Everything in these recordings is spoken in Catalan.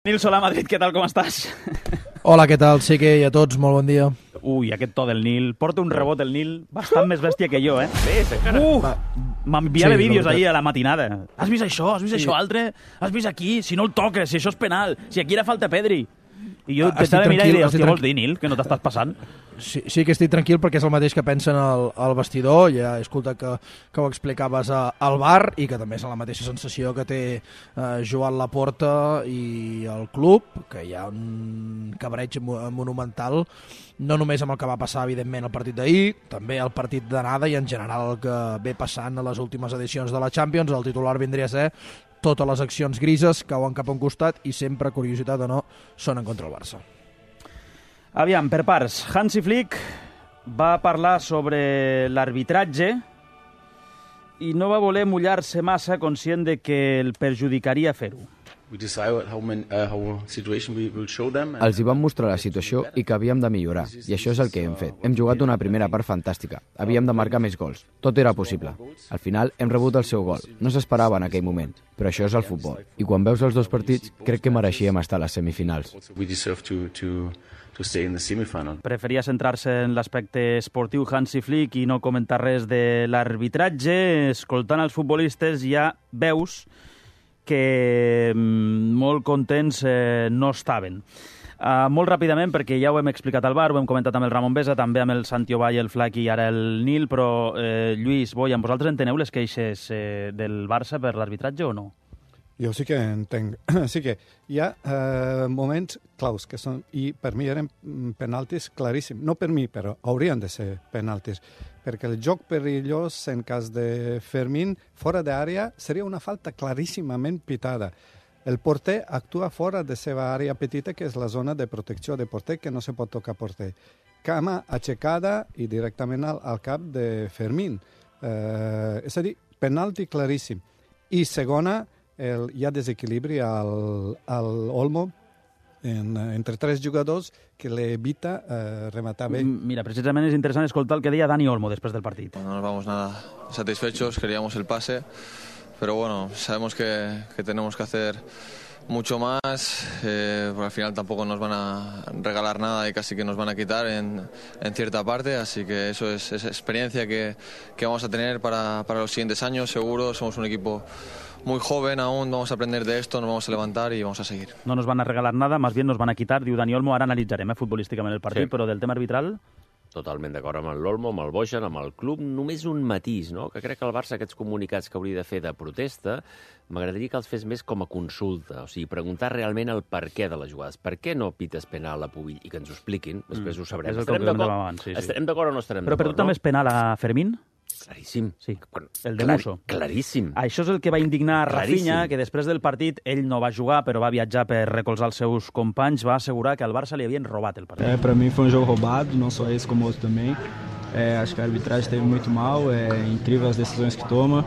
Nil Solà, Madrid, què tal, com estàs? Hola, què tal? Sí que a tots, molt bon dia. Ui, aquest to del Nil. Porta un rebot el Nil bastant més bèstia que jo, eh? Sí, cara. M'enviava vídeos ahir a la matinada. Has vist això? Has vist això altre? Has vist aquí? Si no el toques, si això és penal, si aquí era falta Pedri. I jo t'estava mirant i deia, hòstia, vols dir, Nil, que no t'estàs passant? Sí que estic tranquil perquè és el mateix que pensen al vestidor. Ja he escoltat que ho explicaves al bar i que també és la mateixa sensació que té Joan Laporta i el club, que hi ha un cabreig monumental, no només amb el que va passar, evidentment, el partit d'ahir, també el partit d'anada i en general el que ve passant a les últimes edicions de la Champions. El titular vindria a ser totes les accions grises cauen cap a un costat i sempre, curiositat o no, són en contra el Barça. Aviam, per parts. Hansi Flick va parlar sobre l'arbitratge i no va voler mullar-se massa, conscient de que el perjudicaria fer-ho. Els hi vam mostrar la situació i que havíem de millorar, i això és el que hem fet. Hem jugat una primera part fantàstica. Havíem de marcar més gols. Tot era possible. Al final hem rebut el seu gol. No s'esperava en aquell moment, però això és el futbol. I quan veus els dos partits, crec que mereixíem estar a les semifinals. Preferia centrar-se en l'aspecte esportiu Hansi Flick i no comentar res de l'arbitratge. Escoltant els futbolistes ja veus que molt contents no estaven. Molt ràpidament, perquè ja ho hem explicat al bar, ho hem comentat amb el Ramon Besa, també amb el Santi Ovall, el Flac i ara el Nil, però Lluís, Boyan, vosaltres enteneu les queixes del Barça per l'arbitratge o no? Jo sí que entenc. Sí que hi ha moments claus que són, i per mi eren penaltis claríssims. No per mi, però haurien de ser penaltis. Perquè el joc perillós en cas de Fermín fora d'àrea seria una falta claríssimament pitada. El porter actua fora de seva àrea petita, que és la zona de protecció de porter, que no se pot tocar porter. Cama aixecada i directament al cap de Fermín. És a dir, penalti claríssim. I segona, hi ha desequilibri al Olmo entre tres jugadors que l'evita rematar bé. Mira, precisament és interessant escoltar el que deia Dani Olmo després del partit. No nos vamos nada satisfechos, queríamos el pase, pero bueno, sabemos que tenemos que hacer mucho más, porque al final tampoco nos van a regalar nada y casi que nos van a quitar en cierta parte, así que eso es experiencia que vamos a tener para los siguientes años, seguro. Somos un equipo muy joven aún, vamos a aprender de esto, nos vamos a levantar y vamos a seguir. No nos van a regalar nada, más bien nos van a quitar, diu Dani Olmo. Ara analitzarem futbolísticament el partit, sí. Però del tema arbitral... Totalment d'acord amb l'Olmo, amb el Bojan, amb el club. Només un matís, no? Que crec que el Barça, aquests comunicats que hauria de fer de protesta, m'agradaria que els fes més com a consulta. O sigui, preguntar realment el per què de les jugades. Per què no pites penal a Pubill? I que ens ho expliquin, després ho sabrem. Estarem d'acord? Sí. Estarem d'acord o no estarem d'acord? Però per tu també és penal a Fermín? Claríssim. Sí, el de Musso. Claríssim. Això és el que va indignar Rafinha, que després del partit ell no va jugar, però va viatjar per recolzar els seus companys, va assegurar que al Barça li havien robat el partit. Para mim foi jogo roubado, não só esse como outro também. Acho que a arbitragem esteve muito mal, incrível as decisões que toma.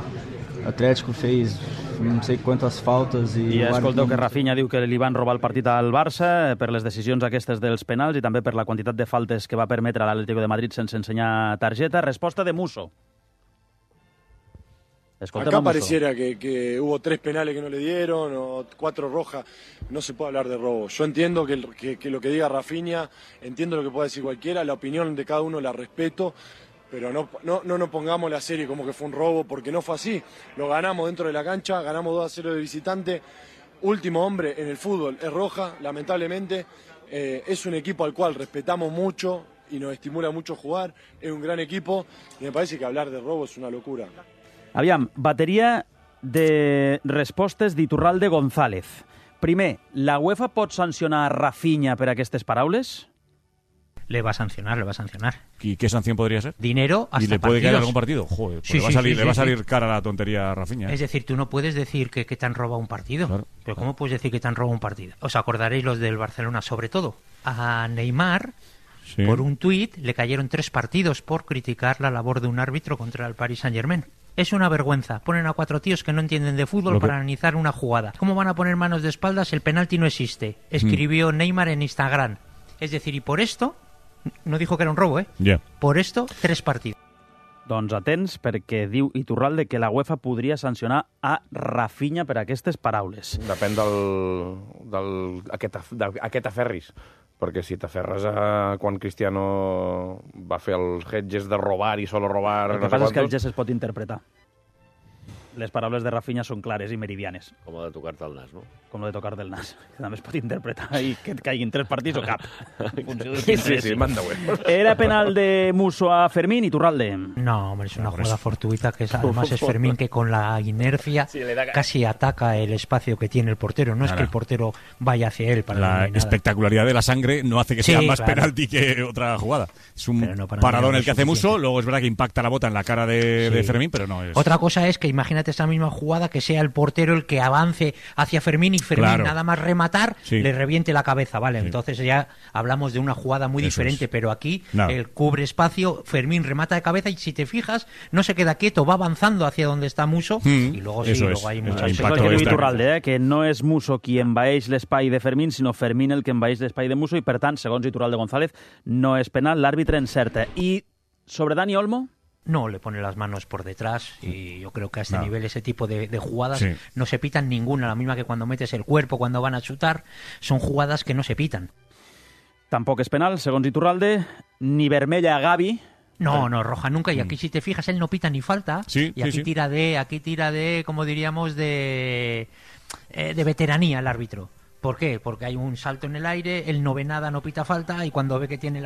O Atlético fez no sé quantes faltes i escolteu que Rafinha diu que li van robar el partit al Barça per les decisions aquestes dels penals i també per la quantitat de faltes que va permetre a l'Atlético de Madrid sense ensenyar targeta. Resposta de Musso. Acá pareciera que hubo 3 penales que no le dieron o 4 rojas. No se puede hablar de robo. Yo entiendo que lo que diga Rafinha, entiendo lo que pueda decir cualquiera, la opinión de cada uno la respeto, pero no nos pongamos la serie como que fue un robo, porque no fue así. Lo ganamos dentro de la cancha, ganamos 2-0 de visitante. Último hombre en el fútbol es Roja, lamentablemente. Es un equipo al cual respetamos mucho y nos estimula mucho jugar. Es un gran equipo y me parece que hablar de robo es una locura. Aviam, bateria de respostes d'Iturralde González. Primer, la UEFA pot sancionar Rafinha per aquestes paraules? Le va a sancionar. ¿Y qué sanción podría ser? Dinero hasta partidos. ¿Y le puede caer algún partido? Joder, pues le va a salir cara la tontería a Rafinha. Es decir, tú no puedes decir que te han robado un partido. Claro. Pero ¿cómo puedes decir que te han robado un partido? Os acordaréis los del Barcelona, sobre todo. A Neymar, sí, por un tuit, le cayeron 3 partidos por criticar la labor de un árbitro contra el Paris Saint-Germain. Es una vergüenza. Ponen a 4 tíos que no entienden de fútbol para analizar una jugada. ¿Cómo van a poner manos de espaldas? El penalti no existe. Escribió Neymar en Instagram. Es decir, y por esto, no dijo que era un robo, Yeah. Por esto, 3 partidos. Doncs atents, perquè diu Iturralde que la UEFA podria sancionar a Rafinha per aquestes paraules. Depèn d'aquest aferris. Perquè si t'aferres a quan Cristiano va fer els hedges de robar i solo robar... El que passa és que el gest es pot interpretar. Les paraules de Rafinha són clares i meridianes. Com de tocar-te el nas, no? Com de tocar del nas. Que també es pot interpretar i que et caiguin 3 partits o cap. Sí, manda bueno. ¿Era penal de Musso a Fermín y Iturralde? No, hombre, es una jugada fortuita que además es Fermín que con la inercia casi ataca el espacio que tiene el portero. No es que el portero vaya hacia él. La espectacularidad de la sangre no hace que sea más penalti que otra jugada. Es un paradón el que hace Musso, luego es verdad que impacta la bota en la cara de Fermín, pero no es... Otra cosa es que imagínate esa misma jugada que sea el portero el que avance hacia Fermín y Fermín nada más rematar le reviente la cabeza, ¿vale? Entonces ya hablamos de una jugada muy diferente, pero aquí el cubre espacio, Fermín remata de cabeza y si te fijas no se queda quieto, va avanzando hacia donde está Musso y luego luego hay muchas... Això és el que diu Iturralde, que no és Musso qui envaeix l'espai de Fermín, sinó Fermín el que envaeix l'espai de Musso i per tant, segons Iturralde González, no és penal, l'àrbitre encerta. I sobre Dani Olmo? No, le pone las manos por detrás y yo creo que a este nivel ese tipo de jugadas no se pitan ninguna, la misma que cuando metes el cuerpo, cuando van a chutar, son jugadas que no se pitan. Tampoc és penal, segons Iturralde, ni vermella a Gavi. No, roja nunca, y aquí si te fijas él no pita ni falta, y aquí tira de, como diríamos, de veteranía el árbitro. ¿Por qué? Porque hay un salto en el aire, él no ve nada, no pita falta, y cuando ve que tiene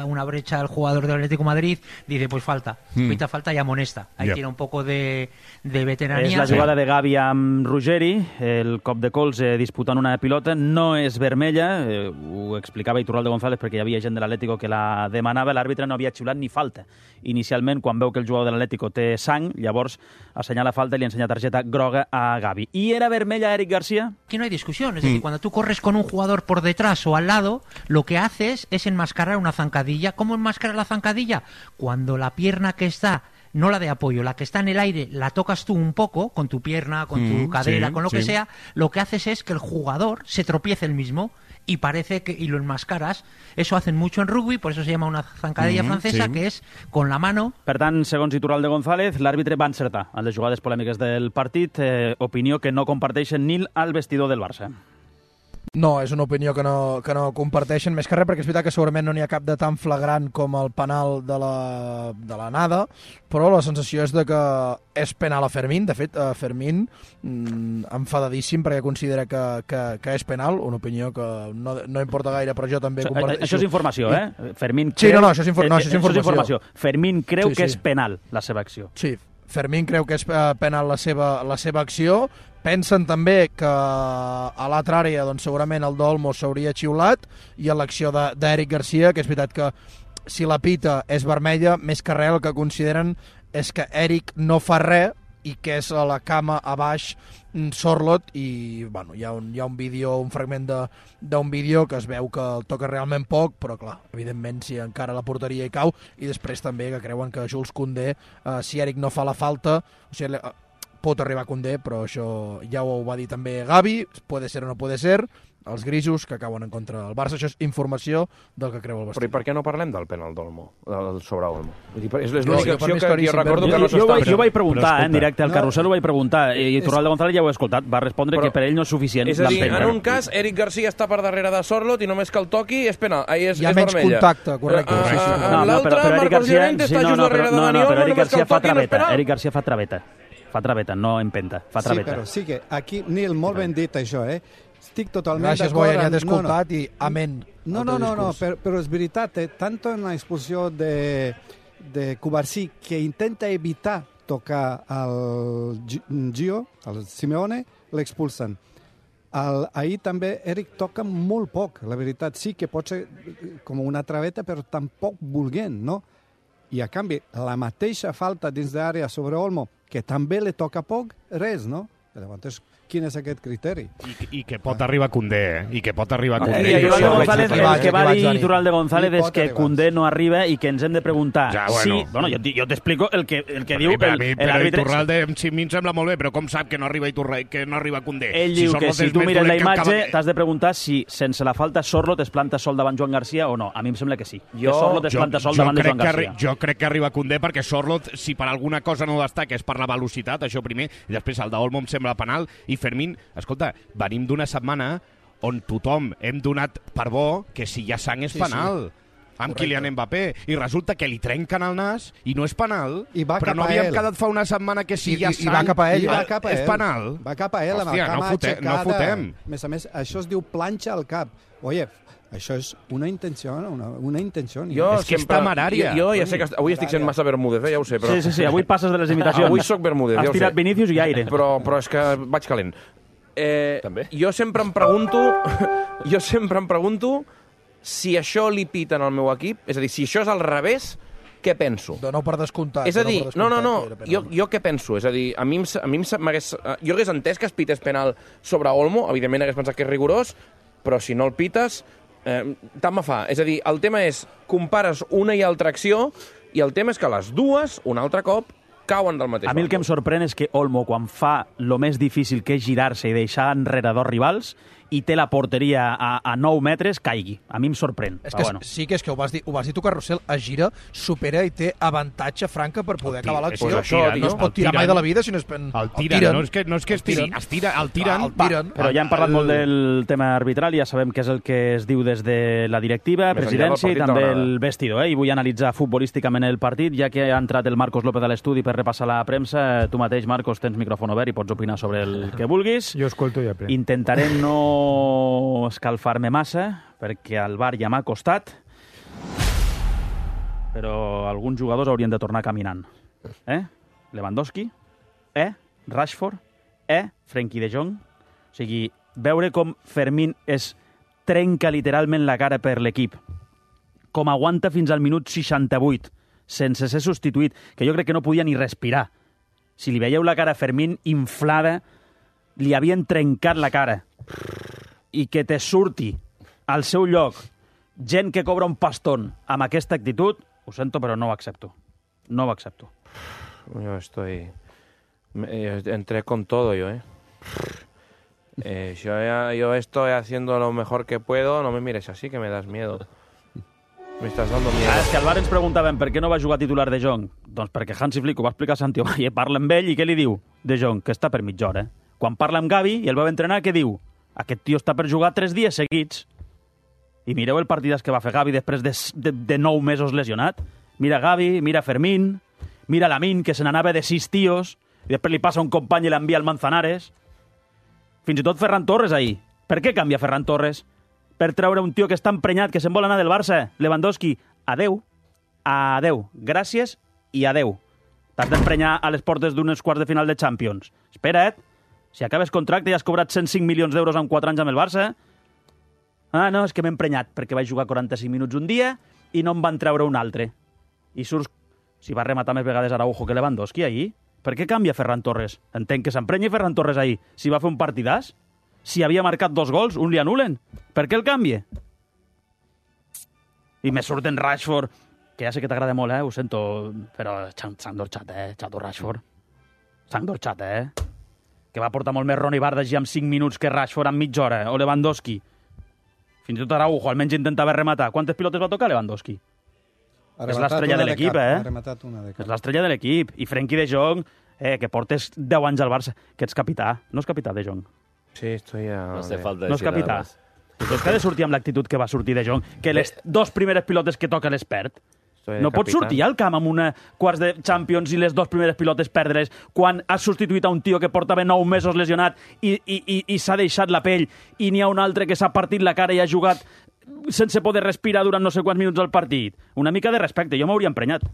una brecha el jugador del Atlético de Madrid, dice pues falta, pita falta y amonesta. Ahí tiene un poco de veteranía. És la jugada de Gavi amb Ruggeri, el cop de colze disputant una pilota, no és vermella, ho explicava Iturralde González perquè hi havia gent de l'Atlético que la demanava, l'àrbitre no havia xiulat ni falta. Inicialment, quan veu que el jugador de l'Atlético té sang, llavors assenyala falta i li ensenya targeta groga a Gavi. ¿Y era vermella a Eric García? Aquí no hay discusión, es decir, cuando tú corres con un jugador por detrás o al lado, lo que haces es enmascarar una zancadilla. ¿Cómo enmascarar la zancadilla? Cuando la pierna que está, no la de apoyo, la que está en el aire, la tocas tú un poco con tu pierna, con tu cadera, con lo que sea, lo que haces es que el jugador se tropiece el mismo y parece que y lo enmascaras. Eso hacen mucho en rugby, por eso se llama una zancadilla francesa, que és con la mano. Per tant, segons Iturralde González, l'àrbitre va encertar en les jugades polèmiques del partit, opinió que no comparteixen ni al vestidor del Barça. No, és una opinió que no comparteixen, més que res perquè és veritat que segurament no n'hi ha cap de tan flagrant com el penal de la Nada, però la sensació és de que és penal a Fermín. De fet, Fermín enfadadíssim perquè considera que és penal, una opinió que no importa gaire, però jo també comparteixo. Això és informació, Fermín creu... Sí, no, això és informació. Fermín creu que és penal la seva acció. Sí, Fermín creu que és penal la seva acció. Pensen també que a l'altra àrea doncs, segurament el d'Olmo s'hauria xiulat i a l'acció d'Eric Garcia, que és veritat que si la pita és vermella, més que res el que consideren és que Eric no fa res i que és a la cama a baix Sorloth i bueno, hi ha un vídeo, un fragment d'un vídeo que es veu que el toca realment poc, però clar, evidentment si encara la porteria hi cau, i després també que creuen que Jules Koundé, si Eric no fa la falta, o sigui, pot arribar a Koundé, però això ja ho va dir també Gavi, puede ser o no puede ser, els grisos que cauen en contra del Barça. Això és informació del que creu el vestidor. Però i per què no parlem del penal d'Olmo, sobre Olmo? És l'única acció que jo recordo que no s'està... Jo vaig preguntar, en directe al Carrusel, ho vaig preguntar, i Iturralde González ja ho he escoltat, va respondre que per ell no és suficient. És a dir, en un cas, Eric Garcia està per darrere de Sorloth i només que el toqui és penal. Hi ha menys contacte, correcte. L'altre, Marcos Llorente, està just darrere de Dani Olmo, només que el toqui no és penal. Eric Garcia fa traveta, no empenta, fa traveta. Sí, però sí que aquí, Nil, molt ben dit això, Estic totalment d'acord. Gràcies, Boia, ja t'he escoltat i amén. No, però és veritat, tanto en la expulsió de Cubarsí, que intenta evitar tocar al Gio, al Simeone, l'expulsen. Ahir també Eric toca molt poc, la veritat. Sí que pot ser com una traveta, però tampoc volent, no? I a canvi, la mateixa falta dins d'àrea sobre Olmo, que també li toca poc, res, no? Llavors, quin és aquest criteri. I que pot arribar Koundé, I que pot arribar Koundé. El que va dir Iturralde González és que Koundé no arriba i que ens hem de preguntar jo t'explico el que diu l'àrbitre. Iturralde a mi em sembla molt bé, però com sap que no arriba Koundé? Ell diu que si tu mires la imatge t'has de preguntar si sense la falta Sorloth es planta sol davant Joan Garcia o no. A mi em sembla que sí. Sorloth es planta sol davant de Joan Garcia. Jo crec que arriba Koundé perquè Sorloth, si per alguna cosa no destaca, és per la velocitat, això primer, i després el d'Olmo em sembla penal, i Fermín, escolta, venim d'una setmana on tothom hem donat per bo que si hi ha sang és penal. Amb Kylian Mbappé, i resulta que li trenquen el nas i no és penal, però no havíem quedat fa una setmana que si hi ha sang va cap a ell, és penal. Va cap a ell, amb el cama aixecada. No fotem. A més, això es diu planxa al cap. Oye, això és una intenció. És que és temerària. Jo ja sé que avui estic sent massa Bermúdez, ja ho sé. Però... Sí, avui passes de les imitacions. Avui soc Bermúdez, ja ho sé. Has tirat Vinícius i aire. Però és que vaig calent. També? Jo sempre em pregunto si això li piten al meu equip, és a dir, si això és al revés, què penso? Dono per descomptat. És a dir, no, jo què penso? És a dir, a mi jo hagués entès que es pités penal sobre Olmo, evidentment hagués pensat que és rigorós, però si no el pites, tant me fa. És a dir, el tema és, compares una i altra acció, i el tema és que les dues, un altre cop, cauen del mateix. A mi el que em sorprèn és que Olmo, quan fa lo més difícil que és girar-se i deixar enrere dos rivals, i té la porteria a 9 metres, caigui. A mi em sorprèn. És que sí que és que ho vas dir tu, Carrusel, es gira, supera i té avantatge franca per poder acabar l'acció. No es pot tirar mai de la vida si no és... El tiren. No és que es tiren. El tiren. Però ja hem parlat molt del tema arbitral, ja sabem què és el que es diu des de la directiva, presidència i també el vestidor. I vull analitzar futbolísticament el partit, ja que ha entrat el Marcos López a l'estudi per repassar la premsa. Tu mateix, Marcos, tens micròfon obert i pots opinar sobre el que vulguis. Jo escolto i aprenc. Intentaré no escalfar-me massa, perquè el VAR ja m'ha costat, però alguns jugadors haurien de tornar caminant. Lewandowski, Rashford, Frenkie de Jong. O sigui, veure com Fermín es trenca literalment la cara per l'equip, com aguanta fins al minut 68, sense ser substituït, que jo crec que no podia ni respirar. Si li veieu la cara a Fermín inflada, li havien trencat la cara. I que te surti al seu lloc gent que cobra un pastón amb aquesta actitud, ho sento, però no ho accepto. No ho accepto. Yo entré con todo yo, yo estoy haciendo lo mejor que puedo, no me mires así, que me das miedo. Me estás dando miedo. És que al bar ens preguntaven per què no va jugar titular De Jong. Doncs perquè Hansi Flick ho va explicar a Santiago i parla amb ell i què li diu? De Jong, que està per mitja hora. Quan parla amb Gavi i el va entrenar, què diu? Aquest tio està per jugar 3 dies seguits. I mireu el partidàs que va fer Gavi després de 9 mesos lesionat. Mira Gavi, mira Fermín, mira Lamine, que se n'anava de 6 tios, i després li passa un company i l'envia al Manzanares. Fins i tot Ferran Torres ahir. Per què canvia Ferran Torres? Per treure un tio que està emprenyat, que se'n vol anar del Barça. Lewandowski, adeu, gràcies i adeu. T'has d'emprenyar a les portes d'unes quarts de final de Champions. Espera't. Si acabes contracte i has cobrat 105 milions d'euros en 4 anys amb el Barça... Ah, no, és que m'he emprenyat perquè vaig jugar 45 minuts un dia i no em van treure un altre. I surts... Si va rematar més vegades Araujo que Lewandowski ahir, per què canvia Ferran Torres? Entenc que s'emprenyi Ferran Torres ahir. Si va fer un partidàs, si havia marcat 2 gols, un li anulen. Per què el canvia? I me surten Rashford, que ja sé que t'agrada molt, ho sento, però s'han dorxat, xato Rashford. S'han dorxat, que va portar molt més Ronny Bardagy amb 5 minuts que Rashford amb mitja hora, o Lewandowski. Fins i tot Araujo, almenys intentava rematar. Quantes pilotes va tocar Lewandowski? És l'estrella de l'equip, És l'estrella de l'equip. I Frenkie de Jong, que portes 10 anys al Barça, que ets capità. No és capità de Jong. Sí, estoy a... No hace falta no és capità. És que ha de sortir amb l'actitud que va sortir de Jong, que les 2 primeres pilotes que toca les perd. No pots sortir al camp amb una quarts de Champions i les 2 primeres pilotes perdre-les quan has substituït a un tio que portava 9 mesos lesionat i s'ha deixat la pell i n'hi ha un altre que s'ha partit la cara i ha jugat sense poder respirar durant no sé quants minuts al partit. Una mica de respecte, jo m'hauria emprenyat.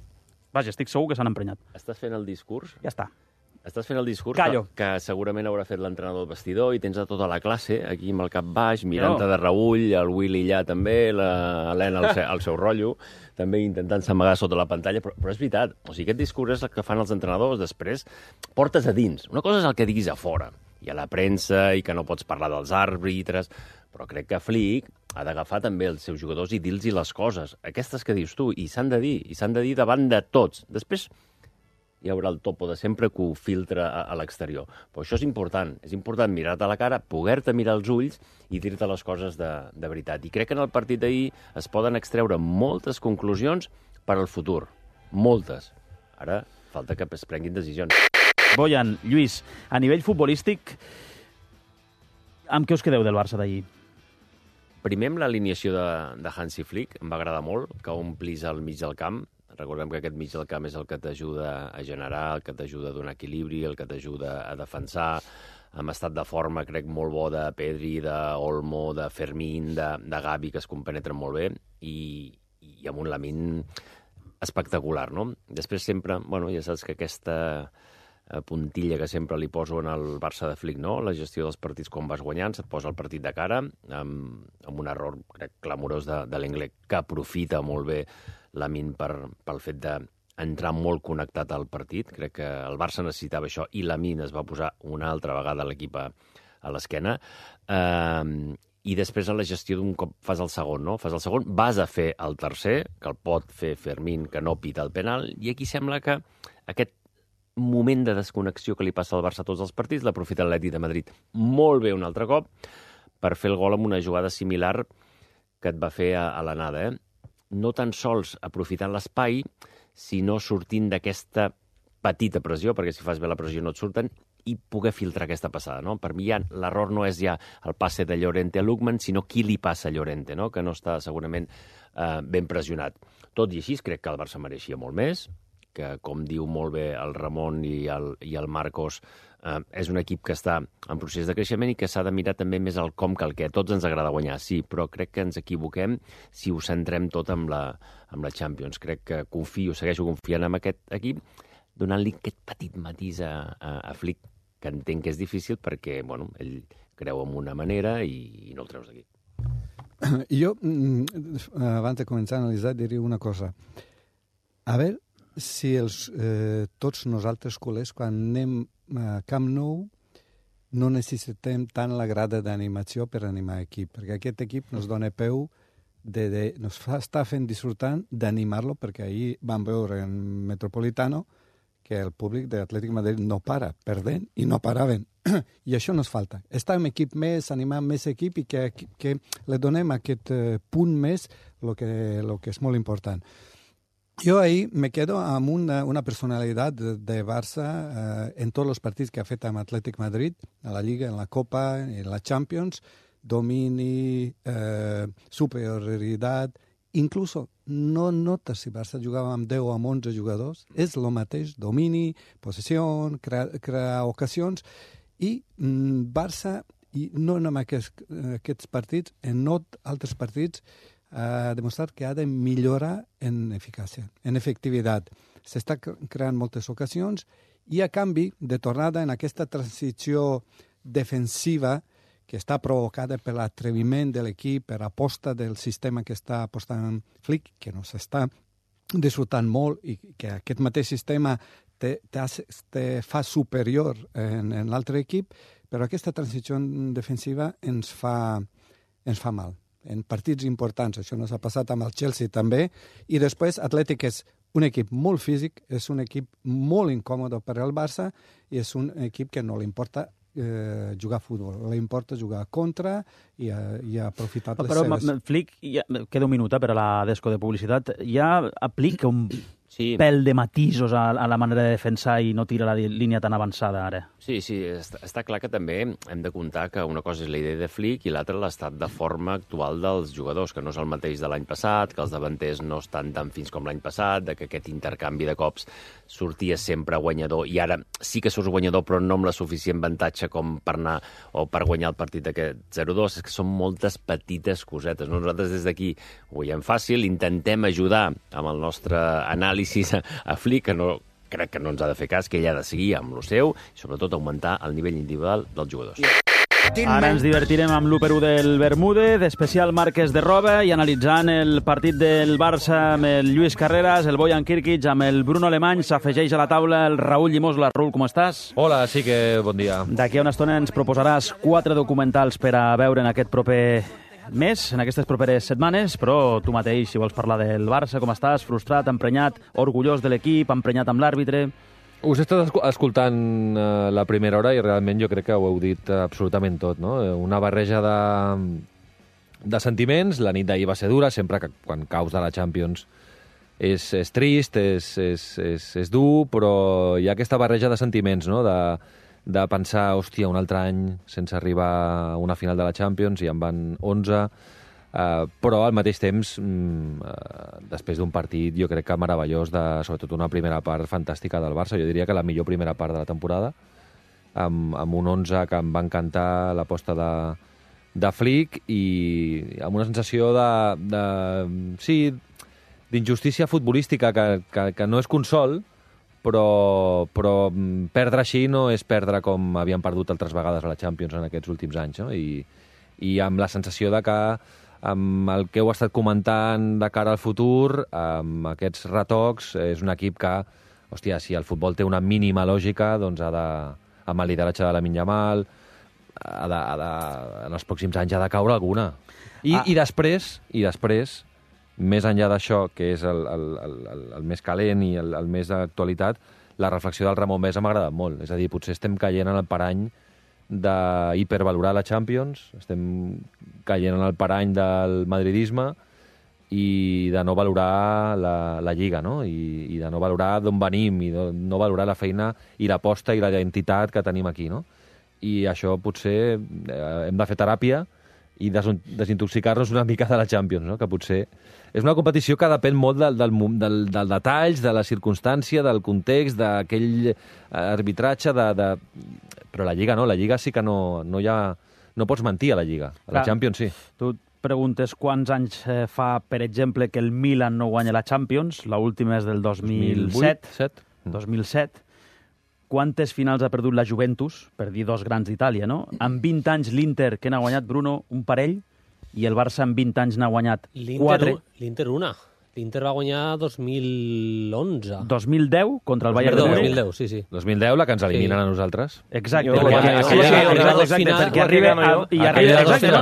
Vaja, estic segur que s'han emprenyat. Estàs fent el discurs? Ja està. Estàs fent el discurs que segurament haurà fet l'entrenador del vestidor i tens a tota la classe aquí amb el cap baix, mirant-te de reull, el Willy allà també, l'Helena al seu rotllo, també intentant s'amagar sota la pantalla, però és veritat, o sigui, aquest discurs és el que fan els entrenadors després, portes a dins. Una cosa és el que diguis a fora, hi ha la premsa i que no pots parlar dels àrbitres, però crec que Flick ha d'agafar també els seus jugadors i dir-los les coses, aquestes que dius tu, i s'han de dir davant de tots. Després hi haurà el topo de sempre que ho filtra a l'exterior. Però això és important mirar-te a la cara, poder-te mirar als ulls i dir-te les coses de veritat. I crec que en el partit d'ahir es poden extreure moltes conclusions per al futur. Moltes. Ara falta que es prenguin decisions. Bojan, Lluís, a nivell futbolístic, amb què us quedeu del Barça d'ahir? Primer amb l'alineació de Hansi Flick, em va agradar molt que omplis el mig del camp. Recordem que aquest mig del camp és el que t'ajuda a generar, el que t'ajuda a donar equilibri, el que t'ajuda a defensar. Amb estat de forma, crec, molt bo de Pedri, d'Olmo, de Fermín, de Gavi, que es compenetren molt bé, i amb un Lamine espectacular, no? Després sempre, ja saps que aquesta puntilla que sempre li poso en el Barça de Flick, no? La gestió dels partits quan vas guanyant, se't posa el partit de cara, amb un error, crec, clamorós de l'Inglés, que aprofita molt bé Lamine pel fet d'entrar molt connectat al partit. Crec que el Barça necessitava això i Lamine es va posar una altra vegada l'equip a l'esquena. I després a la gestió d'un cop fas el segon, no? Fas el segon, vas a fer el tercer, que el pot fer Fermín, que no pita el penal, i aquí sembla que aquest moment de desconnexió que li passa al Barça a tots els partits l'aprofita l'Atlètic de Madrid molt bé un altre cop per fer el gol amb una jugada similar que et va fer a l'anada, no tan sols aprofitant l'espai, sinó sortint d'aquesta petita pressió, perquè si fas bé la pressió no et surten, i poder filtrar aquesta passada, no? Per mi l'error no és ja el passe de Llorente a Lookman, sinó qui li passa a Llorente, no? Que no està segurament ben pressionat. Tot i així, crec que el Barça mereixia molt més, que, com diu molt bé el Ramon i el Marcos, és un equip que està en procés de creixement i que s'ha de mirar també més el com que el què. A tots ens agrada guanyar, sí, però crec que ens equivoquem si ho centrem tot amb la Champions. Crec que segueixo confiant en aquest equip, donant-li aquest petit matís a Flick, que entenc que és difícil perquè, ell creu en una manera i no el treus d'aquí. Jo, abans de començar a analitzar, diria una cosa. A veure si tots nosaltres culers, quan anem a Camp Nou, no necessitem tant la grada d'animació per animar l'equip, perquè aquest equip ens dona peu, ens està fent disfrutant d'animar-lo, perquè ahir vam veure en Metropolitano que el públic de l'Atlètic de Madrid no para, perdent i no paraven. I això ens falta. Estar amb equip més, animar més equip i que li donem aquest punt més, el que és molt important. Jo ahir me quedo amb una personalitat de Barça en tots els partits que ha fet amb Atlètic Madrid, a la Lliga, en la Copa, en la Champions, domini, superioritat, inclús no notes si Barça jugava amb 10 o amb 11 jugadors, és el mateix, domini, possessió, crear ocasions, i Barça, i no en aquests partits, en altres partits, ha demostrat que ha de millorar en eficàcia, en efectivitat. S'està creant moltes ocasions i, a canvi, de tornada en aquesta transició defensiva que està provocada per l'atreviment de l'equip, per l'aposta del sistema que està apostant Flick, que no s'està disfrutant molt i que aquest mateix sistema te fa superior en l'altre equip, però aquesta transició defensiva ens fa mal. En partits importants, això no s'ha passat amb el Chelsea també, i després Atlètic és un equip molt físic, és un equip molt incòmode per al Barça i és un equip que no li importa jugar a futbol, li importa jugar contra i aprofitar les seves... Però Flick, queda un minut per a la desco de publicitat, ja aplica un pèl de matisos a la manera de defensar i no tira la línia tan avançada ara. Sí, està clar que també hem de comptar que una cosa és la idea de Flick i l'altra l'estat de forma actual dels jugadors, que no és el mateix de l'any passat, que els davanters no estan tan fins com l'any passat, que aquest intercanvi de cops sortia sempre guanyador i ara sí que surts guanyador però no amb la suficient avantatge com per anar o per guanyar el partit d'aquest 0-2. És que són moltes petites cosetes. Nosaltres des d'aquí ho veiem fàcil, intentem ajudar amb el nostre anàlisi a Flick, que no crec que no ens ha de fer cas, que ell ha de seguir amb el seu i sobretot augmentar el nivell individual dels jugadors. Ara ens divertirem amb l'1-1 del Bermúdez, especial marques de roba i analitzant el partit del Barça amb el Lluís Carreras, el Bojan Kirkic, amb el Bruno Alemany. S'afegeix a la taula el Raúl Llimosla. Raúl, com estàs? Hola, sí que bon dia. D'aquí a una estona ens proposaràs 4 documentals per a veure en aquest proper mes, en aquestes properes setmanes, però tu mateix, si vols parlar del Barça, com estàs? Frustrat, emprenyat, orgullós de l'equip, emprenyat amb l'àrbitre? Us he estat escoltant la primera hora i realment jo crec que ho heu dit absolutament tot, no? Una barreja de sentiments. La nit d'ahir va ser dura, sempre que quan caus de la Champions és trist, és dur, però hi ha aquesta barreja de sentiments, no? De pensar, hòstia, un altre any sense arribar a una final de la Champions i en van 11, però al mateix temps, després d'un partit, jo crec que meravellós, sobretot una primera part fantàstica del Barça. Jo diria que la millor primera part de la temporada, amb un 11 que em va encantar l'aposta de Flick i amb una sensació d'injustícia futbolística que no és consol, però perdre així no és perdre com havien perdut altres vegades a la Champions en aquests últims anys, no? I amb la sensació de que amb el que heu estat comentant de cara al futur, amb aquests retocs, és un equip que, hòstia, si el futbol té una mínima lògica, doncs amb el lideratge de Lamine Yamal, en els pròxims anys ha de caure alguna. I després, més enllà d'això, que és el més calent i el més d'actualitat, la reflexió del Ramon Besa m'ha agradat molt. És a dir, potser estem caient en el parany d'hipervalorar la Champions, estem caient en el parany del madridisme i de no valorar la Lliga, no? I de no valorar d'on venim i de no valorar la feina i l'aposta i la identitat que tenim aquí, no? I això potser hem de fer teràpia i desintoxicar-nos una mica de la Champions, no? Que potser és una competició que depèn molt del detalls, de la circumstància, del context, d'aquell arbitratge, però la Lliga no, la Lliga sí que no pots mentir a la Lliga, a la Champions sí. Tu et preguntes quants anys fa, per exemple, que el Milan no guanya la Champions, l'última és del 2007. 2007. Quantes finals ha perdut la Juventus, per dir dos grans d'Itàlia, no? En 20 anys l'Inter, que n'ha guanyat, Bruno, un parell, i el Barça en 20 anys n'ha guanyat 4. L'Inter una. L'Inter va guanyar 2011. 2010 contra el Bayern de Múnich. 2010, sí. 2010, la que ens eliminen a nosaltres. Exacte. Perquè arriba...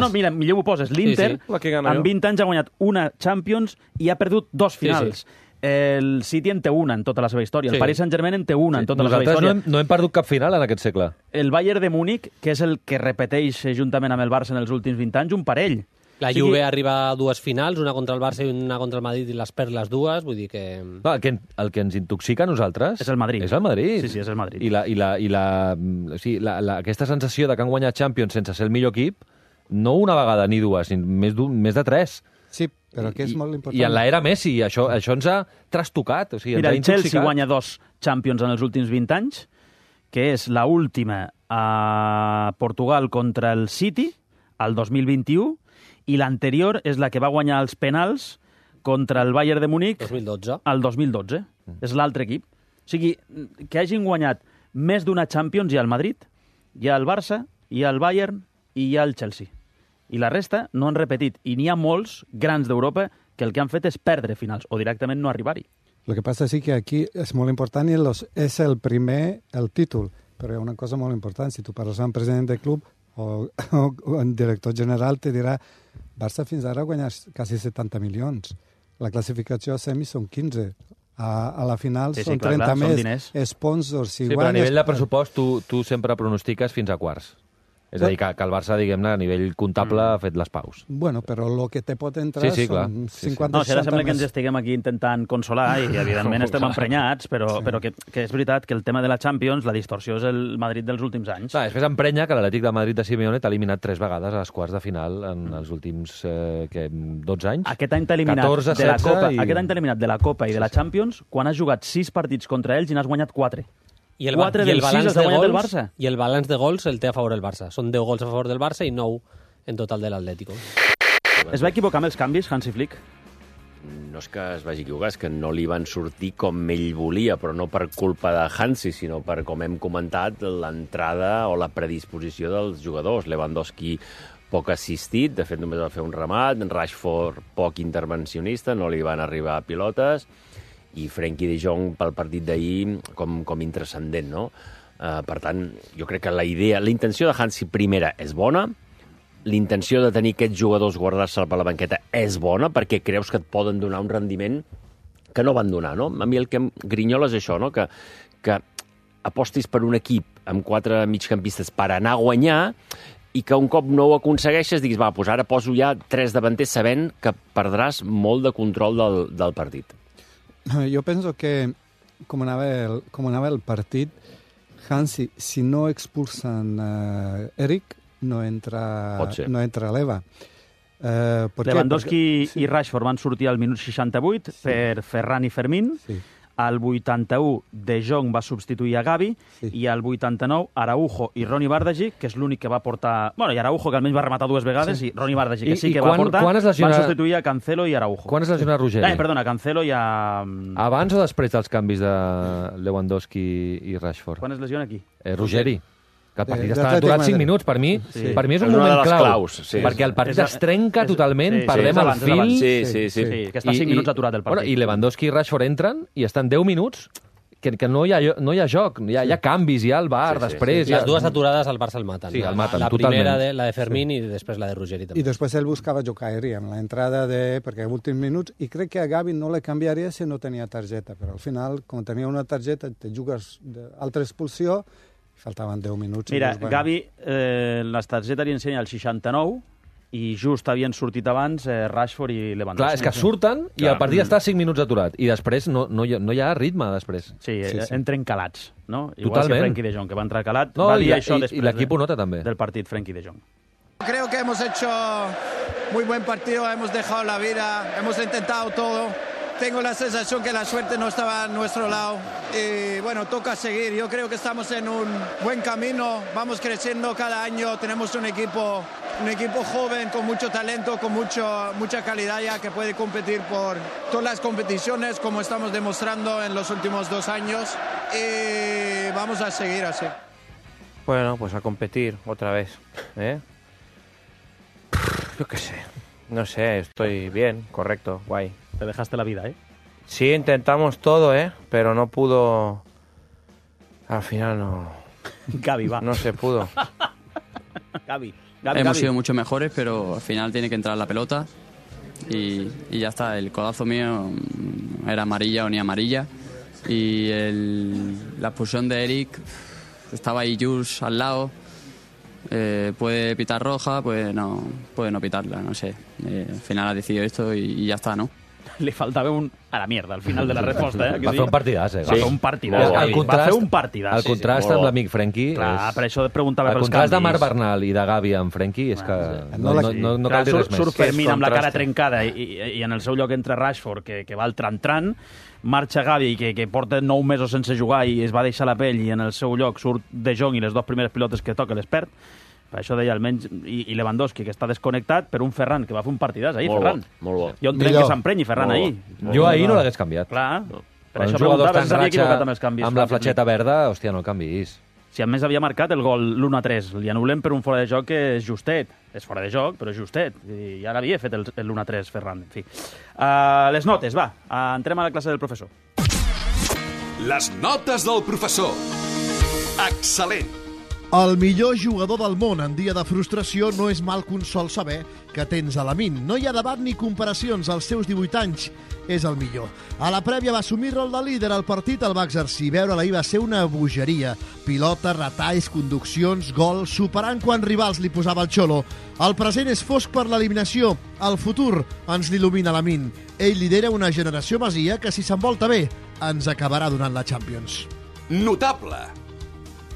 No, mira, millor ho poses. L'Inter en 20 anys ha guanyat una Champions i ha perdut 2 finals. El City en té una en tota la seva història. El Paris Saint-Germain en té una en tota la seva història. Nosaltres no hem perdut cap final en aquest segle. El Bayern de Múnich, que és el que repeteix juntament amb el Barça en els últims 20 anys, un parell. La Juve arriba a 2 finals, una contra el Barça i una contra el Madrid, i les perd les dues, vull dir que... El que ens intoxica a nosaltres... És el Madrid. És el Madrid. Sí, és el Madrid. I aquesta sensació de que han guanyat Champions sense ser el millor equip, no una vegada ni dues, més de 3. Sí, però que és molt important. I en l'era Messi, això ens ha trastocat. O sigui, mira, el Chelsea guanya 2 Champions en els últims 20 anys, que és l'última a Portugal contra el City, al 2021, i l'anterior és la que va guanyar els penals contra el Bayern de Múnich 2012. Al 2012. És l'altre equip. O sigui, que hagin guanyat més d'una Champions hi ha el Madrid, hi ha el Barça, hi ha el Bayern i hi ha el Chelsea. I la resta no han repetit. I n'hi ha molts grans d'Europa que el que han fet és perdre finals o directament no arribar-hi. Lo que passa sí que aquí és molt important i és el primer, el títol. Però hi ha una cosa molt important. Si tu parles amb el president del club o el director general te dirà Barça fins ara ha guanyat quasi 70 milions. La classificació a semis són 15. A la final són 30 més. Sponsors, si guanyes... Però a nivell de pressupost tu sempre pronostiques fins a quarts. És a dir, que el Barça, diguem-ne, a nivell comptable ha fet les paus. Bueno, però el que te pot entrar són 50 No, si ara sembla que ens estiguem aquí intentant consolar i, evidentment, estem emprenyats, però que és veritat que el tema de la Champions, la distorsió és el Madrid dels últims anys. Després emprenya que l'Atlètic de Madrid de Simeone t'ha eliminat 3 vegades a les quarts de final en els últims 12 anys. Aquest any t'ha eliminat de la Copa i de la Champions quan has jugat 6 partits contra ells i n'has guanyat 4. I el balanç de gols el té a favor el Barça. Són 10 gols a favor del Barça i 9 en total de l'Atlético. Es va equivocar amb els canvis, Hansi Flick? no és que es vagi equivocar, és que no li van sortir com ell volia, però no per culpa de Hansi, sinó per, com hem comentat, l'entrada o la predisposició dels jugadors. Lewandowski poc assistit, de fet només va fer un remat, Rashford poc intervencionista, no li van arribar pilotes, i Frenkie de Jong pel partit d'ahir com intrascendent, no? Per tant, jo crec que la intenció de Hansi primera és bona, l'intenció de tenir aquests jugadors guardar-se per la banqueta és bona, perquè creus que et poden donar un rendiment que no van donar, no? A mi el que em grinyola és això, no? Que apostis per un equip amb 4 migcampistes per anar a guanyar i que un cop no ho aconsegueixes diguis, va, doncs ara poso ja 3 davanters sabent que perdràs molt de control del partit. Jo penso que com anava el partit, Hansi, si no expulsen Eric, no entra l'Eva. Lewandowski i Rashford van sortir al minut 68 per Ferran i Fermín. Al 81, De Jong va substituir a Gavi, i al 89, Araujo i Ronny Bardghji, que és l'únic que va portar... Bueno, i Araujo, que almenys va rematar 2 vegades, i Ronny Bardghji, que sí que va portar, van substituir a Cancelo i Araujo. Quan es lesiona Ruggeri? Perdona, Cancelo i a... Abans o després dels canvis de Lewandowski i Rashford? Quan es lesiona aquí? Ruggeri. Que el partit està aturat 5 minuts. Per mi és un moment clau, perquè el partit es trenca totalment, perdem el fil... Sí, que està 5 minuts aturat el partit. I Lewandowski i Rashford entren i estan 10 minuts que no hi ha joc, hi ha canvis, hi ha el VAR després... Les dues aturades al Barça el maten. Sí, el maten, la primera, la de Fermín, i després la de Ruggeri també. I després ell buscava jocar aeri amb l'entrada perquè últims minuts, i crec que a Gavi no le canviaria si no tenia targeta, però al final, quan tenia una targeta, te jugues d'altra expulsió. Faltaven 10 minuts. Mira, Gavi, la targeta li ensenya el 69 i just havien sortit abans Rashford i Lewandowski. Clar, és que surten i el partit està 5 minuts aturat. I després no hi ha ritme, després. Sí, entren calats, no? Igual que Frenkie de Jong, que va entrar calat. Va dir això després i l'equip ho nota també. Del partit, Frenkie de Jong. Creo que hemos hecho muy buen partido, hemos dejado la vida, hemos intentado todo. Tengo la sensación que la suerte no estaba a nuestro lado y bueno, toca seguir. Yo creo que estamos en un buen camino, vamos creciendo cada año, tenemos un equipo joven con mucho talento, con mucha calidad ya que puede competir por todas las competiciones como estamos demostrando en los últimos 2 años y vamos a seguir así. Bueno, pues a competir otra vez, ¿eh? Yo qué sé, no sé, estoy bien, correcto, guay. Te dejaste la vida, ¿eh? Sí, intentamos todo, pero no pudo... Al final no... Gavi, va. No se pudo. Gavi. Hemos sido mucho mejores, pero al final tiene que entrar la pelota y ya está. El codazo mío era amarilla o ni amarilla y la expulsión de Eric, estaba ahí Jules al lado, puede pitar roja, puede no pitarla, no sé. Al final ha decidido esto y ya está, ¿no? Le faltava a la mierda al final de la resposta. Va fer un partidàs, Va fer un partidàs. Va fer un partidàs. El contrast amb l'amic Frenkie... Clar, per això et preguntava pels canvis. El contrast de Marc Bernal i de Gavi amb Frenkie és que no cal dir res més. Surt Fermín amb la cara trencada i en el seu lloc entra Rashford, que va al tran-tran, marxa Gavi, que porta 9 mesos sense jugar i es va deixar la pell, i en el seu lloc surt De Jong i les 2 primeres pilotes que toca les perd. Per això deia, almenys, i Lewandowski, que està desconnectat, per un Ferran, que va fer un partidàs ahir, Ferran. Molt bo. Jo entenc que s'emprenyi Ferran ahir. Jo ahir no l'hagués canviat. Clar, per això preguntava si s'havia equivocat amb els canvis. Amb la fletxeta verda, hòstia, no el canvis. Si a més havia marcat el gol l'1-3, li anul·lem per un fora de joc que és justet. És fora de joc, però és justet. I ara havia fet l'1-3, Ferran. En fi. Les notes, va. Entrem a la classe del professor. Les notes del professor. Excel·lent. El millor jugador del món en dia de frustració no és mal consol saber que tens a Lamine. No hi ha debat ni comparacions, als seus 18 anys és el millor. A la prèvia va assumir rol de líder, el partit el va exercir. Veure-la ahir va ser una bogeria. Pilotes, retalls, conduccions, gol, superant quan rivals li posava el xolo. El present és fosc per l'eliminació, el futur ens l'il·lumina Lamine. Ell lidera una generació masia que si s'envolta bé ens acabarà donant la Champions. Notable.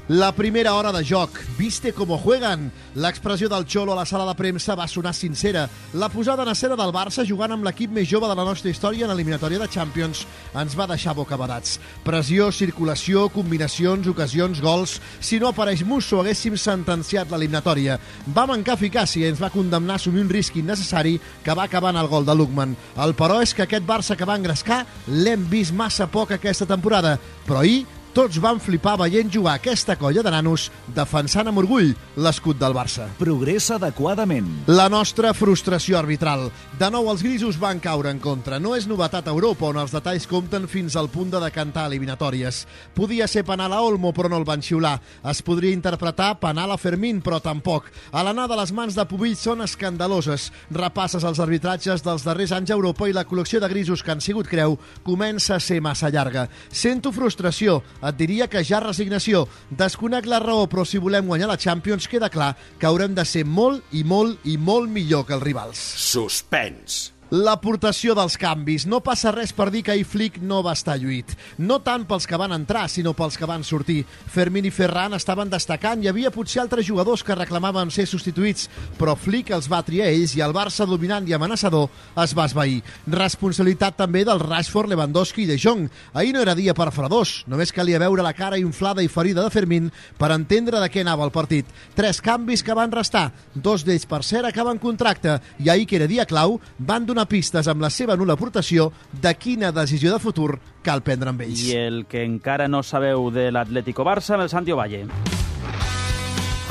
La primera hora de joc. Viste cómo juegan. L'expressió del Xolo a la sala de premsa va sonar sincera. La posada en escena del Barça jugant amb l'equip més jove de la nostra història en l'eliminatòria de Champions ens va deixar bocabadats. Pressió, circulació, combinacions, ocasions, gols... Si no apareix Musso, haguéssim sentenciat l'eliminatòria. Va mancar eficàcia i ens va condemnar a assumir un risc innecessari que va acabar en el gol de Lookman. El però és que aquest Barça que va engrescar l'hem vist massa poc aquesta temporada. Però ahir tots van flipar veient jugar aquesta colla de nanos defensant amb orgull l'escut del Barça. Progressa adequadament. La nostra frustració arbitral. De nou els grisos van caure en contra. No és novetat a Europa, on els detalls compten fins al punt de decantar eliminatòries. Podia ser penal a Olmo, però no el van xiular. Es podria interpretar penal a Fermín, però tampoc. A l'anar de les mans de Pubill són escandaloses. Repasses els arbitratges dels darrers anys a Europa i la col·lecció de grisos que han sigut creu comença a ser massa llarga. Sento frustració. Et diria que ja resignació. Desconec la raó, però si volem guanyar la Champions queda clar que haurem de ser molt i molt i molt millor que els rivals. Suspens. L'aportació dels canvis. No passa res per dir que ahir Flick no va estar lluït. No tant pels que van entrar, sinó pels que van sortir. Fermín i Ferran estaven destacant i hi havia potser altres jugadors que reclamaven ser substituïts, però Flick els va triar ells i el Barça dominant i amenaçador es va esvair. Responsabilitat també del Rashford, Lewandowski i De Jong. Ahir no era dia per fredors, només calia veure la cara inflada i ferida de Fermín per entendre de què anava el partit. 3 canvis que van restar, 2 d'ells per cert acaben contracte i ahir, que era dia clau, van donar pistes amb la seva nul·la aportació de quina decisió de futur cal prendre amb ells. I el que encara no sabeu de l'Atlético Barça, amb el Santi Ovalle.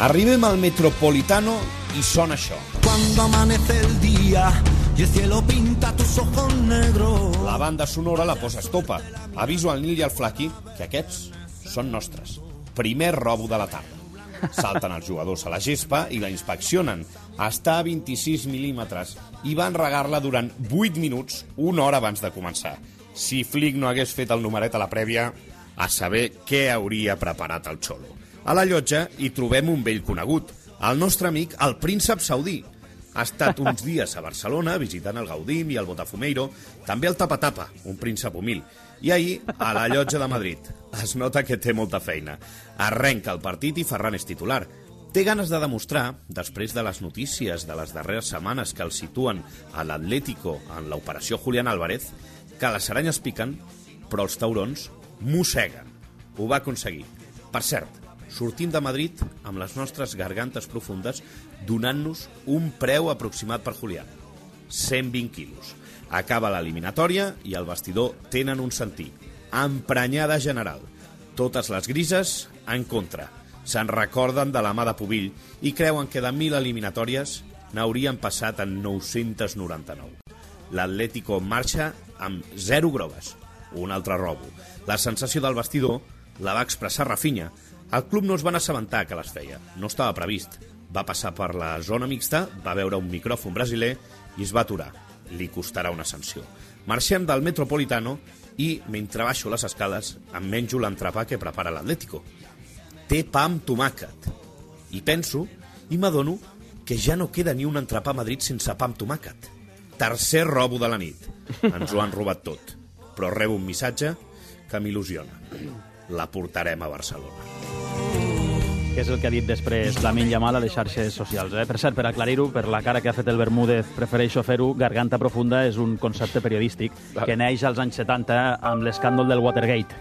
Arribem al Metropolitano i sona això. Cuando amanece el día y el cielo pinta tus ojos negros. La banda sonora la posa estopa. Aviso al Nil i al Flaqui que aquests són nostres. Primer robo de la tarda. Salten els jugadors a la gespa i la inspeccionen. Està a 26 mil·límetres i van regar-la durant 8 minuts, una hora abans de començar. Si Flick no hagués fet el numeret a la prèvia, a saber què hauria preparat el Xolo. A la llotja hi trobem un vell conegut, el nostre amic, el príncep saudí. Ha estat uns dies a Barcelona visitant el Gaudim i el Botafumeiro, també el Tapa-Tapa, un príncep humil. I ahir, a la llotja de Madrid. Es nota que té molta feina. Arrenca el partit i Ferran és titular. Té ganes de demostrar, després de les notícies de les darreres setmanes que el situen a l'Atlético en l'operació Julián Álvarez, que les aranyes piquen, però els taurons mosseguen. Ho va aconseguir. Per cert, sortim de Madrid amb les nostres gargantes profundes donant-nos un preu aproximat per Julián. 120 quilos. Acaba l'eliminatòria i el vestidor tenen un sentit. Emprenyada general. Totes les grises en contra. Se'n recorden de la mà de Pubill i creuen que de 1.000 eliminatòries n'haurien passat en 999. L'Atlético marxa amb 0 grogues. Un altre robo. La sensació del vestidor la va expressar Rafinha. El club no es van assabentar que les feia. No estava previst. Va passar per la zona mixta, va veure un micròfon brasiler i es va aturar. Li costarà una sanció. Marxem del Metropolitano i, mentre baixo les escales, em menjo l'entrepà que prepara l'Atlético. Té pa amb tomàquet. I penso, i m'adono, que ja no queda ni un entrepà a Madrid sense pa amb tomàquet. Tercer robo de la nit. Ens ho han robat tot. Però rebo un missatge que m'il·lusiona. La portarem a Barcelona. Que és el que ha dit després Lamine Yamal a les xarxes socials. Per cert, per aclarir-ho, per la cara que ha fet el Bermúdez, prefereixo fer-ho, garganta profunda és un concepte periodístic que neix als anys 70 amb l'escàndol del Watergate,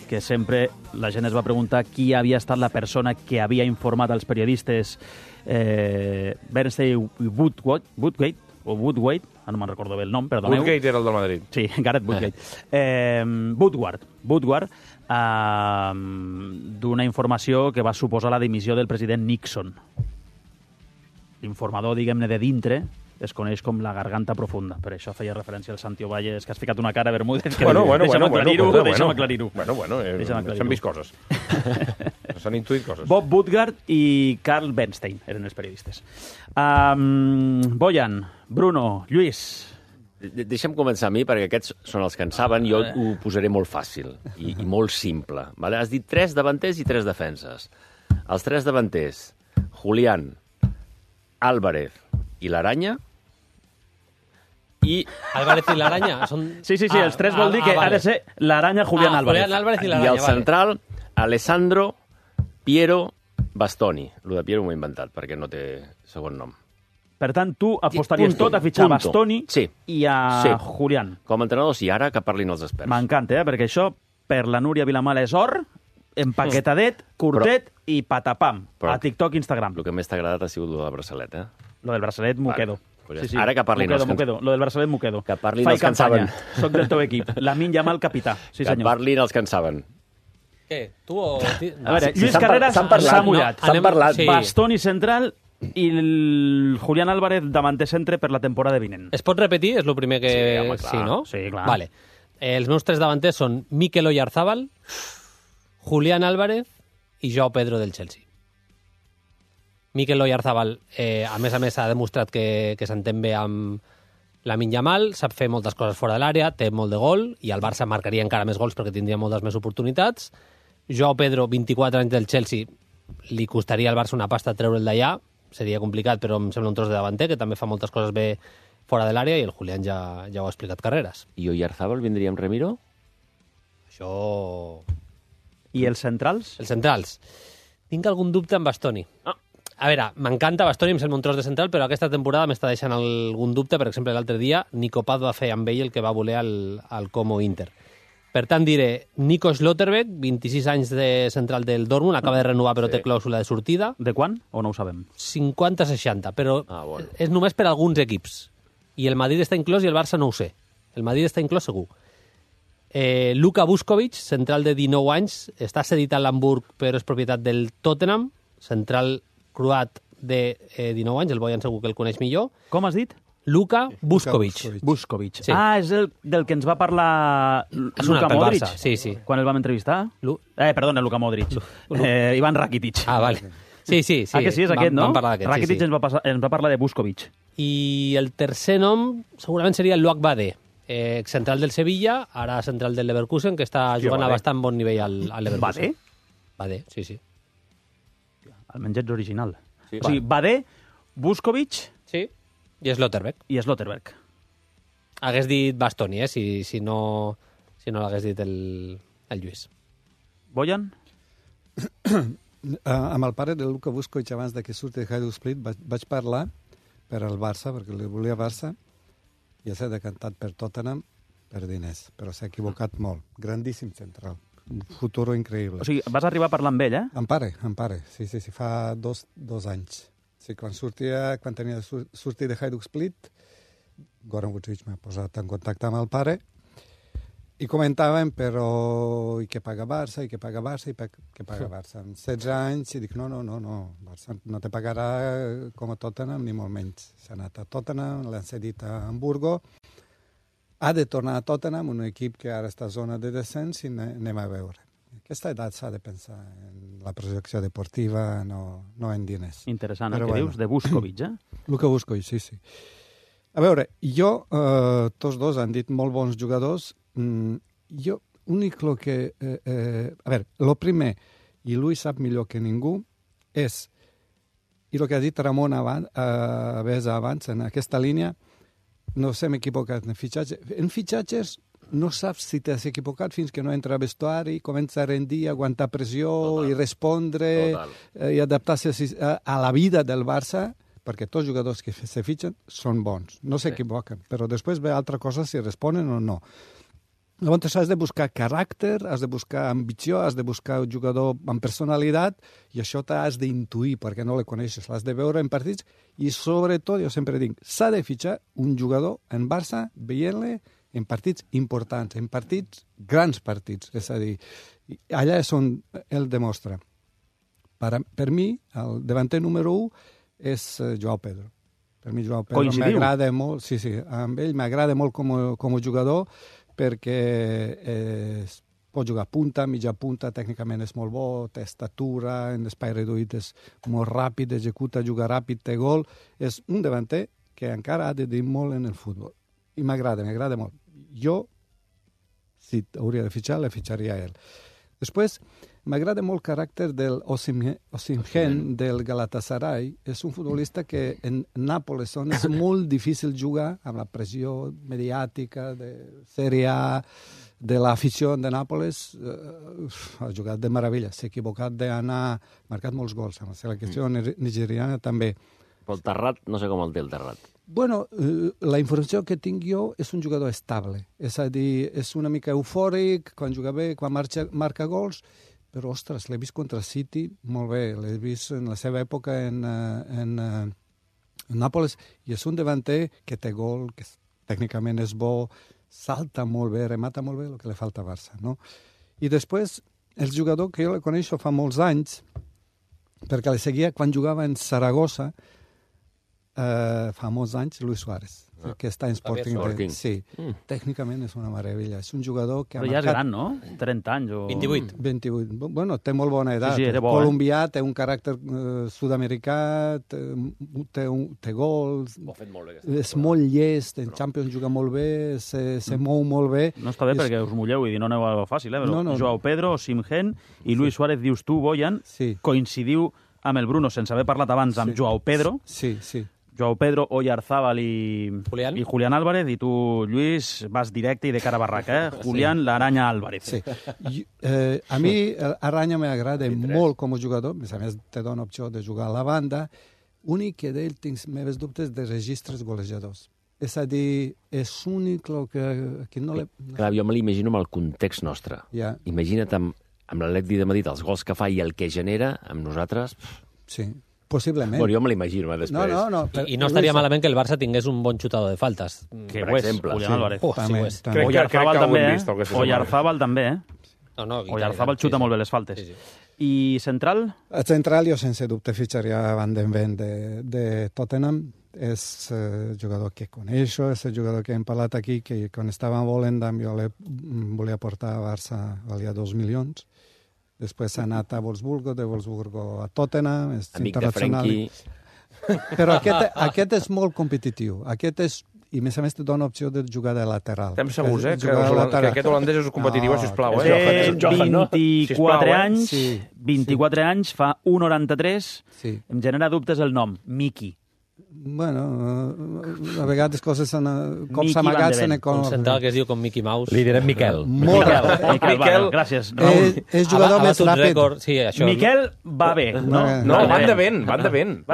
que sempre la gent es va preguntar qui havia estat la persona que havia informat als periodistes Bernstein Woodgate, o Woodward, no me'n recordo bé el nom, perdoneu. Woodgate era el del Madrid. Sí, Gareth Woodgate. Woodward, d'una informació que va suposar la dimissió del president Nixon. L'informador, diguem-ne, de dintre es coneix com la garganta profunda. Per això feia referència al Santi Ovalle. És que has ficat una cara, Bermúdez, que deixa'm aclarir-ho. S'han vist coses. S'han intuït coses. Bob Woodward i Carl Bernstein eren els periodistes. Bojan, Bruno, Lluís... Deixa'm començar a mi, perquè aquests són els que en saben. Jo ho posaré molt fàcil i molt simple. Vale? Has dit 3 davanters i 3 defenses. Els 3 davanters, Julián, Álvarez i l'Aranya. Álvarez i l'Aranya són... Sí, els 3 vol dir que ha de ser l'Aranya, Julián, Álvarez. Julián Álvarez i I l'Aranya, el central, Alessandro, Piero Bastoni. Lo de Piero m'ho he inventat, perquè no té segon nom. Per tant, tu apostaries tot a fitxar Bastoni i a Julián. Com a entrenadors, i ara que parlin els experts. M'encanta, perquè això, per la Núria Vilamala és or, empaquetadet, curtet i patapam. A TikTok i Instagram. El que més t'ha agradat ha sigut lo del braçalet, Lo del braçalet m'ho quedo. Ara que parlin els que... Lo del braçalet m'ho quedo. Que parlin els que en saben. Soc del teu equip. Lamine Yamal, capità. Que parlin els que en saben. Què? Tu o... A veure, Lluís Carreras s'ha mullat. S'han parlat. Bastoni central i el Julián Álvarez davanter centre per la temporada vinent. Es pot repetir? És el primer que... Sí, home, clar. Sí, no? Sí, clar. Vale. Els meus tres davanters són Mikel Oyarzábal, Julián Álvarez i Joao Pedro del Chelsea. Mikel Oyarzábal, a més, ha demostrat que s'entén bé amb Lamine Yamal, sap fer moltes coses fora de l'àrea, té molt de gol, i el Barça marcaria encara més gols perquè tindria moltes més oportunitats. Joao Pedro, 24 anys del Chelsea, li costaria al Barça una pasta treure'l d'allà, seria complicat, però em sembla un tros de davanter, que també fa moltes coses bé fora de l'àrea, i el Julián ja ho ha explicat Carreras. I Oyarzábal vindria amb Remiro? Això... I els centrals? Els centrals. Tinc algun dubte amb Bastoni. A veure, m'encanta Bastoni, em sembla un tros de central, però aquesta temporada m'està deixant algun dubte. Per exemple, l'altre dia, Nico Paz va fer amb ell el que va voler al Como Inter. Per tant, diré Nico Schlotterbeck, 26 anys de central del Dortmund, acaba de renovar però té clàusula de sortida. De quan? O no ho sabem? 50-60, però és només per alguns equips. I el Madrid està inclòs i el Barça no ho sé. El Madrid està inclòs segur. Luka Vuskovic, central de 19 anys, està cedit a l'Hamburg però és propietat del Tottenham, central croat de 19 anys, el Bojan segur que el coneix millor. Com has dit? Luka Vuskovic. Sí. Ah, és el del que ens va parlar Luka Modric? Barça. Sí. Quan el vam entrevistar? Perdona, Luka Modric. Ivan Rakitic. Ah, vale. Sí. Ah, que sí, és aquest, no? Vam parlar d'aquest, Rakitic ens va parlar de Vuskovic. I el tercer nom segurament seria Luak Badé, central del Sevilla, ara central del Leverkusen, que està jugant a bastant bon nivell al Leverkusen. Badé, sí. Almenys ets original. Sí. O sigui, Badé, Vuskovic... Sí. I Schlotterbeck. Hagués dit Bastoni, si no l'hagués dit el Lluís. Bojan? Amb el pare de Luka Vuskovic, abans que surti de Hajduk Split, vaig parlar per al Barça, perquè li volia Barça, i s'ha decantat per Tottenham per diners, però s'ha equivocat molt. Grandíssim central. Un futur increïble. O sigui, vas arribar a parlar amb ell, Amb pare. Sí, fa dos anys. Sí, quan tenia de sortir de Hajduk Split, Goran Vučić m'ha posat en contacte amb el pare i comentàvem, però i què paga Barça, i què paga Barça. Amb 16 anys i dic, no, Barça no te pagarà com a Tottenham, ni molt menys. S'ha anat a Tottenham, l'han cedit a Hamburgo, ha de tornar a Tottenham, un equip que ara està a zona de descens, i anem a veure. Aquesta edat s'ha de pensar en la projecció deportiva, no en diners. Interessant, el que dius de Vuskovic, Luka Vuskovic, sí. A veure, tots dos han dit molt bons jugadors. Jo, únic que... a veure, el primer, i Luis sap millor que ningú, és, i el que ha dit Ramon abans, en aquesta línia, no s'hem equivocat en fitxatges. En fitxatges no saps si t'has equivocat fins que no entra a vestuari, comença a rendir, aguantar pressió i respondre i adaptar-se a la vida del Barça, perquè tots els jugadors que se fitxen són bons, no s'equivoquen, però després ve altra cosa si responen o no. Llavors has de buscar caràcter, has de buscar ambició, has de buscar un jugador amb personalitat, i això t'has d'intuir perquè no el coneixes, l'has de veure en partits, i sobretot, jo sempre dic, s'ha de fitxar un jugador en Barça veient-le en partits importants, en grans partits, és a dir, allà és on ell demostra. Per mi, el davanter número 1 és Joao Pedro. Per mi Joao Pedro m'agrada molt, sí, amb ell m'agrada molt com a jugador, perquè pot jugar punta, mitja punta, tècnicament és molt bo, té estatura, en espai reduït és molt ràpid, executa, juga ràpid, té gol. És un davanter que encara ha de dir molt en el futbol. I m'agrada molt. Jo, si hauria de fitxar, le fitxaria a ell. Després, M'agrada molt el caràcter del Osimhen del Galatasaray. És un futbolista que en Nàpoles és molt difícil jugar amb la pressió mediàtica de Serie A, de l'afició de Nàpoles. Ha jugat de meravella. S'ha equivocat d'anar... marcat molts gols amb la selecció nigeriana també. Però el Terrat, no sé com el té el Terrat. Bueno, la informació que tinc jo és un jugador estable. És a dir, és una mica eufòric, quan juga bé, quan marca gols, però, ostres, l'he vist contra City molt bé. L'he vist en la seva època en Nàpoles, i és un davanter que té gol, que tècnicament és bo, salta molt bé, remata molt bé, el que li falta a Barça, no? I després, el jugador que jo el coneixo fa molts anys, perquè li seguia quan jugava en Saragossa, fa molts anys, Luis Suárez, que està en Sporting. Sí, tècnicament és una meravella. És un jugador que però ja és gran, no? 30 anys o... 28. Bueno, té molt bona edat. Sí, era bo, colombià, té un caràcter sud-americà, té gols, és molt llest, en Champions juga molt bé, se mou molt bé. No està bé perquè us mulleu i no aneu a fàcil, però Joao Pedro, Osimhen i Luis Suárez, dius tu, Boyan, coincidiu amb el Bruno, sense haver parlat abans amb Joao Pedro. Sí. Joao Pedro, Oyarzábal i Julián Álvarez, i tu, Lluís, vas directe i de cara a barraca, Julián, l'Aranya Álvarez. Sí. A mi Aranya m'agrada molt com a jugador, a més te dona opció de jugar a la banda, únic que d'ell tinc meves dubtes de registres golejadors. És a dir, és únic el que no le... Clar, jo me l'imagino amb el context nostre. Imagina't amb l'Atlètic de Madrid, els gols que fa i el que genera, amb nosaltres... Sí. Possiblement. Bueno, jo me l'imagino, després. No. I no estaria malament que el Barça tingués un bon xutador de faltes. Que ho és, Julián Álvarez. Sí ho és. Oyarzábal també, Oyarzábal també, Oyarzábal xuta molt bé les faltes. I central? El central jo sense dubte fitxaria Van den Ven de Tottenham. És jugador que coneixo, és el jugador que hem parlat aquí, que quan estava a Volendam jo volia portar a Barça, valia 2 milions. Després s'ha anat a Wolfsburgo, de Wolfsburgo a Tottenham, és amic de Frenkie. Però aquest és molt competitiu. Aquest és, i a més te dona opció de jugar de lateral. Estem segurs, que aquest holandès és competitiu, sisplau. Té 24 anys, fa 1,93. Em genera dubtes el nom, Miki. Bueno, a vegades coses cops amagats en un central que es diu com Mickey Mouse. Li direm Miquel. Miquel, gràcies. És jugador més ràpid. Miquel va bé. No, van de vent. Miquel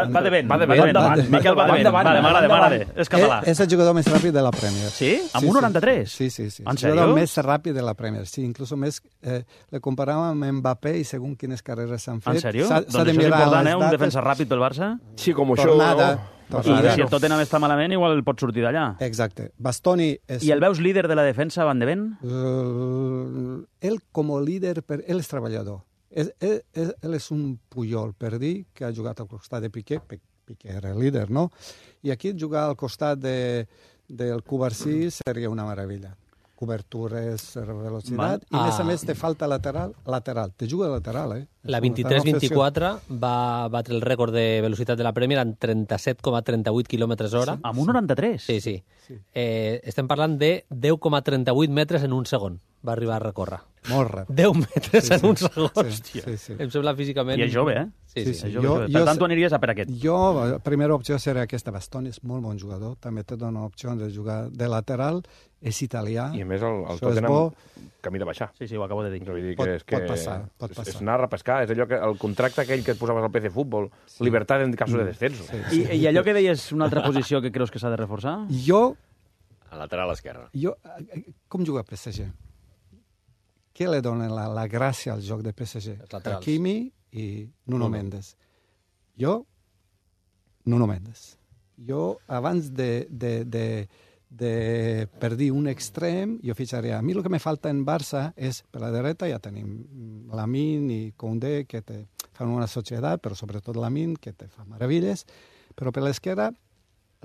va de vent. M'agrada. És català. És el jugador més ràpid de la Premier. Sí? Amb 1,93? Sí. En sèrio? El jugador més ràpid de la Premier. Sí, inclús més... Le comparàvem amb Mbappé i segons quines carreres s'han fet. En sèrio? Doncs això és important, un defensa ràpid pel Barça? Sí, com això... I si el Tottenham està malament, igual pot sortir d'allà. Exacte. Bastoni és... I el veus líder de la defensa, Van de Ven? Ell, com a líder, ell és treballador. Ell és un Puyol, per dir, que ha jugat al costat de Piqué. Piqué era el líder, no? I aquí jugar al costat del Cubarsí seria una meravella. Cobertures, velocitat, i a més te falta lateral. Te juga lateral, La 23-24 va batre el rècord de velocitat de la Premier en 37,38 km/h. Amb 1,93? Sí. Estem parlant de 10,38 metres en un segon. Va arribar a recórrer. Molt ràpid. 10 metres en un segon. Sí. Em sembla físicament... I és jove, Sí. Per tant, tu aniries a per aquest. Jo, la primera opció seria aquesta. Bastoni és molt bon jugador. També te dona opció de jugar de lateral. És italià. I a més el Tottenham camí de baixar. Sí, ho acabo de dir. Pot passar. És anar a repescar. És allò que el contracte aquell que et posaves al PC Futbol. Libertat en cas de descenso. I allò que deies, una altra posició que creus que s'ha de reforçar? Jo... A lateral esquerra. Com juga PSG? Què li dona la gràcia al joc de PSG? Hakimi i Nuno Mendes. Nuno Mendes. Jo, abans per dir un extrem, jo fitxaria. A mi el que me falta en Barça és, per la dreta ja tenim Lamine i Koundé, que fan una societat, però sobretot Lamine, que te fa meravelles, però per l'esquerra,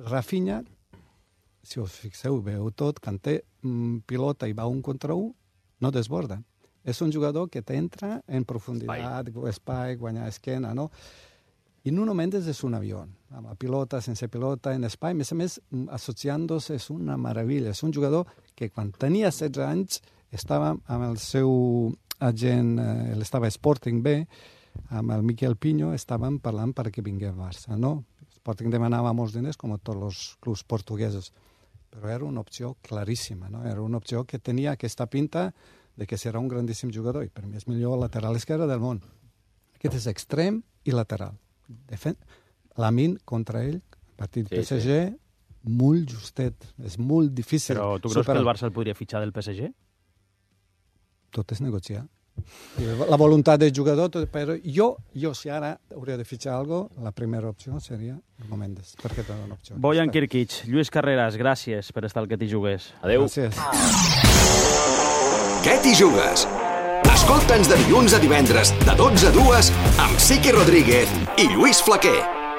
Rafinha, si us fixeu, veu tot, quan té pilota i va 1 contra 1, no desborda. És un jugador que t'entra en profunditat, espai, guanyar esquena, no? I Nuno Mendes és un avió, amb la pilota, sense pilota, en espai. A més, associant-se és una meravella. És un jugador que quan tenia 16 anys estava amb el seu agent, estava Sporting B, amb el Miquel Pinho estàvem parlant perquè vingui al Barça, no? Sporting demanava molts diners, com a tots els clubs portuguesos, però era una opció claríssima, no? Era una opció que tenia aquesta pinta de que serà un grandíssim jugador, i per mi és millor lateral esquerre del món. Aquest és extrem i lateral. Lamine contra ell, partit PSG, molt justet, és molt difícil. Però tu creus que el Barça el podria fitxar del PSG? Tot és negociar. La voluntat del jugador, però jo si ara hauria de fitxar alguna cosa, la primera opció seria Mendes, perquè té una opció. Bojan Kirkic, Lluís Carreras, gràcies per estar al Que t'hi jugues. Adéu. Gràcies. Què t'hi jugues? Escolta'ns de dilluns a divendres, de 12 a 2, amb Siqui Rodríguez i Lluís Flaquer.